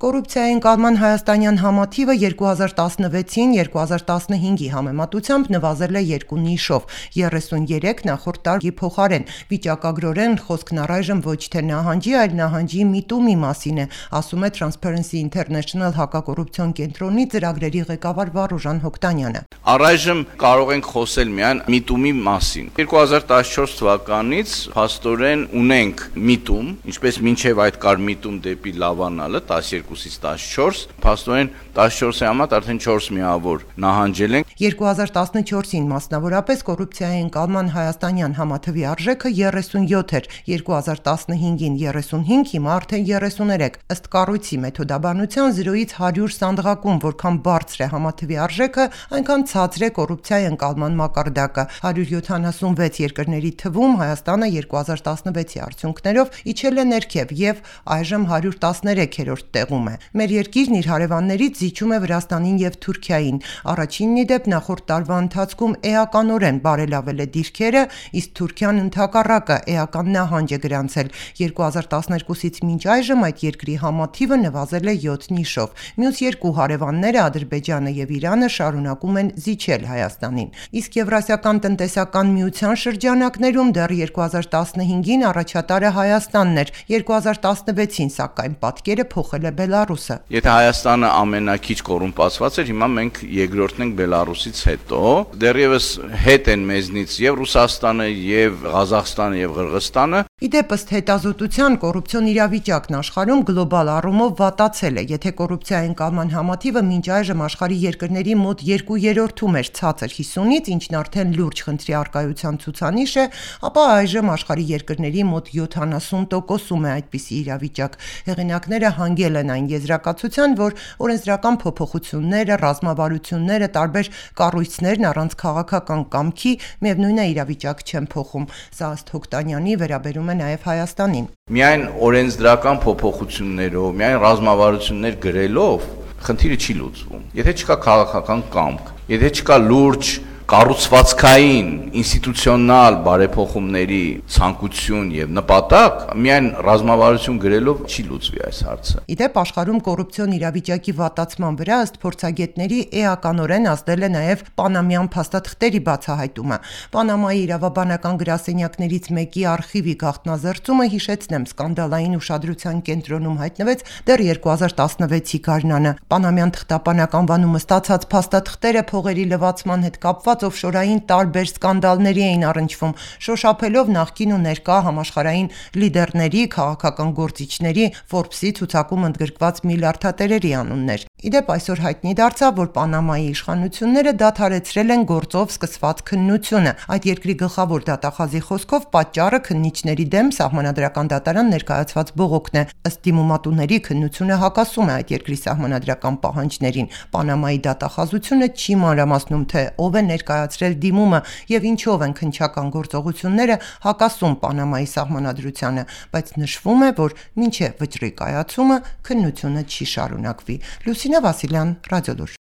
Կոռուպցիայի ընկալման հայաստանյան համաթիվը 2016-ին 2015-ի համեմատությամբ նվազել է 2 նիշով, 33 նախորդ տարի փոխարեն։ Վիճակագրորեն խոսքն առայժմ ոչ թե նահանջի, այլ նահանջի միտումի մասին է, ասում է Transparency International հակակոռուպցիոն կենտրոնի ծրագրերի ղեկավար Վարուժան Հոկտանյանը։ Առայժմ կարող ենք խոսել միայն միտումի մասին։ 2014 թվականից փաստորեն ունենք միտում, ինչպես մինչև այդ կար միտում դեպի լավանալը 12-ից 14, փաստորեն 14-ի համար արդեն 4 միավոր նահանջել են։ 2014-ին մասնավորապես կոռուպցիայի ընկալման հայաստանյան համաթվի արժեքը 37 էր, 2015-ին 35, հիմա արդեն 33։ Ըստ կառույցի մեթոդաբանության 0-ից 100 սանդղակում, որքան բարձր է համաթվի արժեքը, այնքան ցածր է կոռուպցիայի ընկալման մակարդակը։ 176 երկրների թվում Հայաստանը 2016-ի արդյունքներով իջել է ներքև եւ այժմ 113-րդ տեղում է։ Մեր երկիրն իր հարևաններից զիջում է Վրաստանին եւ Թուրքիային։ Առաջինն ի դեպ նախորդ տարվա ընթացքում էականորեն բարելավել է դիրքերը, իսկ Թուրքիան ընդհակառակը էական նահանջ է գրանցել։ 2012-ից մինչ այժմ այդ երկրի համաթիվը նվազել է 7 նիշով։ Մյուս երկու հարևանները Ադրբեջանը եւ Իրանը շարունակում են զիջել Հայաստանին։ Իսկ Եվրասիական տնտեսական միության շրջանակներում դեռ 2015-ին առաջատարը Հայաստանն էր, 2016-ին սակայն պատկերը փոխել է Բելարուսը։ Եթե Հայաստանը ամենակիչ կոռումպացված էր, հիմա մենք երկրորդն ենք Բելարուսից հետո։ Դեռևս հետ են մեզնից եւ Ռուսաստանը, եւ Ղազախստանը, եւ Ղրղստանը։ Իդեպ ըստ հետազոտության կոռուպցիոն իրավիճակն աշխարհում գլոբալ առումով վատացել է։ Եթե կոռուպցիայի ընկալման համաթիվը մինչ այժմ աշխարհի երկրների մոտ 2/3-ում էր ցածր 50-ից, ինչն արդեն լուրջ խնդրի առկայության ցուցանիշ է, ապա այժմ աշխարհի երկրների մոտ 70%-ում է այդպիսի իրավիճակ։ Հեղինակները հանգել են այն եզրակացության, որ օրենսդրական փոփոխությունները, ռազմավարությունները, տարբեր կառույցներն առանց քաղաքական կամքի միևնույն է իրավիճակ չեն փոխում։ Սա ըստ Հոկտանյանի վերաբերում է նաև Հայաստանին։ Միայն օրենսդրական փոփոխություններով, միայն ռազմավարություններ գրելով խնդիրը չի լուծվում։ Եթե չկա քաղաքական կամք, եթե չկա լուրջ կառուցվածքային, ինստիտուցիոնալ բարեփոխումների ցանկություն եւ նպատակ, միայն ռազմավարություն գրելով չի լուծվի այս հարցը։ Իդեպ աշխարհում կոռուպցիոն իրավիճակի վատացման վրա ըստ փորձագետների էականորեն ազդել է նաև պանամյան փաստաթղթերի բացահայտումը։ Պանամայի իրավաբանական գրասենյակներից մեկի արխիվի գաղտնազերծումը, հիշեցնեմ, սկանդալային ուշադրության կենտրոնում հայտնվեց դեռ 2016-ի գարնանը։ Պանամյան թղթապանակ անվանումը ստացած փաստաթղթերը փողերի լվացման հետ կապված օֆշորային տարբեր սկանդալների էին առնչվում, շոշափելով նախկին ու ներկա համաշխարհային լիդերների, քաղաքական գործիչների, Forbes-ի ցուցակում ընդգրկված միլիարդատերերի անուններ։ Իդեպ այսօր հայտնի դարձավ, որ Պանամայի իշխանությունները դադարեցրել են գործով սկսված քննությունը։ Այդ երկրի գլխավոր դատախազի խոսքով պատճառը քննիչների դեմ սահմանադրական դատարան ներկայացված բողոքն է։ Ըստ դիմումատուների քննությունը հակասում է այդ երկրի սահմանադրական պահանջներին։ Պանամայի դատախազությունը չի մանրամասնում, թե ով է ներկայացրել դիմումը եւ ինչով են քննչական գործողությունները հակասում Պանամայի սահմանադրությանը, բայց նշվում է, որ մինչև վճռի կայացումը քննությունը չի շարունակվի։ Լուսինե Վասիլյան, Ռադիոլուր։